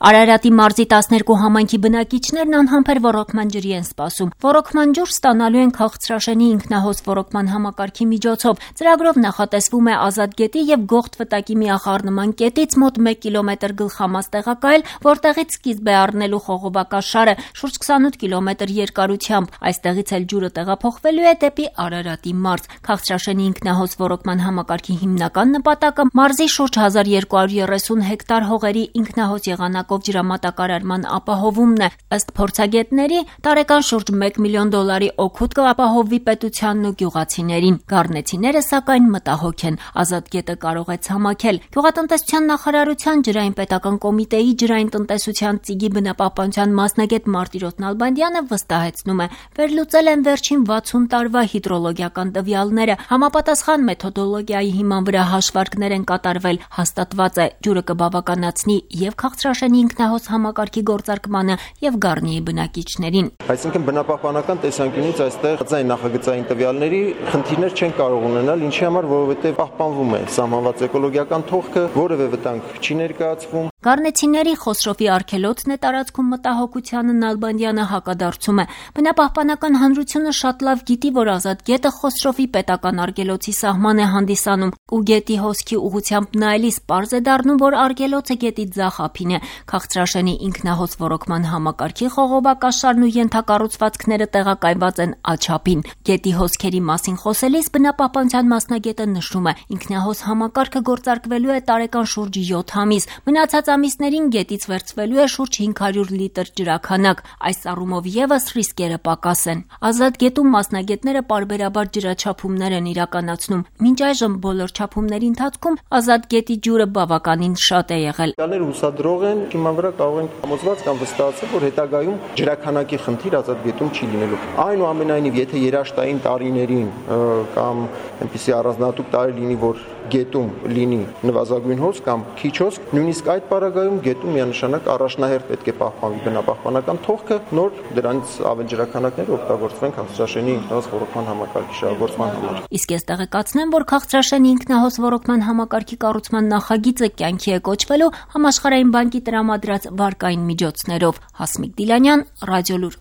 Արարատի մարզի 12 համայնքի բնակիչներն անհամբեր ոռոգման ջրի են սպասում։ Ոռոգման ջուր ստանալու են Քաղցրաշենի ինքնահոս ոռոգման համակարգի միջոցով։ Ծրագրով նախատեսվում է Ազատ գետի եւ Գողթ վտակի միախառնման կետից մոտ 1 կիլոմետր գլխամաս տեղակայել, որտեղից սկիզբ է առնելու խողովակաշարը շուրջ 28 կիլոմետր երկարությամբ։ Այստեղից էլ ջուրը տեղափոխվելու է դեպի Արարատի մարզ։ Քաղցրաշենի ինքնահոս ոռոգման համակարգի հիմնական նպատակը մարզի շուրջ 1230 հեկտար հողերի ինքնահոս եղանակով ջրամատակարարման ապահովումն է։ Ըստ փորձագետների, տարեկան շուրջ $1 միլիոն օգուտ կապահովվի պետությանն ու գյուղացիներին։ Գառնեցիները սակայն մտահոգ են։ Ազատ գետը կարող է ցամաքել։ Գյուղատնտեսության նախարարության ջրային պետական կոմիտեի ջրային տնտեսության ծիգի բնապահպանության մասնագետ Մարտիրոս Նալբանդյանը վստահեցնում է, վերլուծել են վերջին 60 տարվա հիդրոլոգիական տվյալները, համապատասխան մեթոդոլոգիայի հիման վրա հաշվարկներ են կատարվել, հաստատված է ջուրը կբավականացնի եւ Քաղցրաշենի ինքնահոս համակարգի գործարկմանը եւ Գառնիի բնակիչներին։ Այսինքն բնապահպանական տեսանկյունից այստեղ նախագծային տվյալների խնդիրներ չեն կարող ունենալ, ինչի համար, որովհետեւ պահպանվում է սահմանված էկոլոգիական թողքը, որևէ վտանգ չի ներկայացվում։ Գառնեցիների Խոսրովի արգելոցն է տարածքում մտահոգությանը Նալբանդյանը հակադարձում է։ Բնապահպանական հանրությունը շատ լավ գիտի, որ Ազատ գետը Խոսրովի պետական արգելոցի սահման է հանդիսանում, ու գետի հոսքի ուղղությամբ նայելիս պարզ է դառնում, որ արգելոցը գետի ձախ ափին է։ Քաղցրաշենի ինքնահոս ոռոգման համակարգի խողովակաշարն ու ենթակառուցվածքները տեղակայված են աչափին։ Գետի հոսքերի մասին խոսելիս բնապահպանության մասնագետը նշում է, ինքնահոս համակարգը գործարկվելու է տարեկան շուրջ 7 ամիս։ Մնացած ամիսներին գետից վերցվելու է շուրջ 500 լիտր ջրաքանակ։ Այս առումով եւս ռիսկերը պակաս են։ Ազատ գետում մասնագետները պարբերաբար ջրաչափումներ են իրականացնում։ Մինչ այժմ բոլոր չափումների ընթացքում Ազատ գետի ջուրը բավականին շատ է եղել։ Տալները հուսադրող են, հիման վրա կարող են համոզված կամ վստահացել, որ հետագայում ջրաքանակի խնդիր Ազատ գետում չի լինելու։ Այնուամենայնիվ, եթե երաշտային տարիներին կամ այնպիսի առանձնահատուկ տարի լինի, որ գետում լինի նվազագույն հոս կամ քիչ հոս, նույնիսկ այդ պարագայում գետում միանշանակ առաջնահերթ պետք է պահպանվի բնապահպանական թողքը, նոր դրանից ավել ջրաքանակները օգտագործվեն Քաղցրաշենի ինքնահոս ոռոգման համակարգի շահագործման համար։ Իսկ ես տեղեկացնեմ, որ Քաղցրաշենի ինքնահոս ոռոգման համակարգի կառուցման նախագիծը կյանքի է կոչվելու Համաշխարհային բանկի տրամադրած վարկային միջոցներով։ Հասմիկ Դիլանյան, Ռադիոլուր։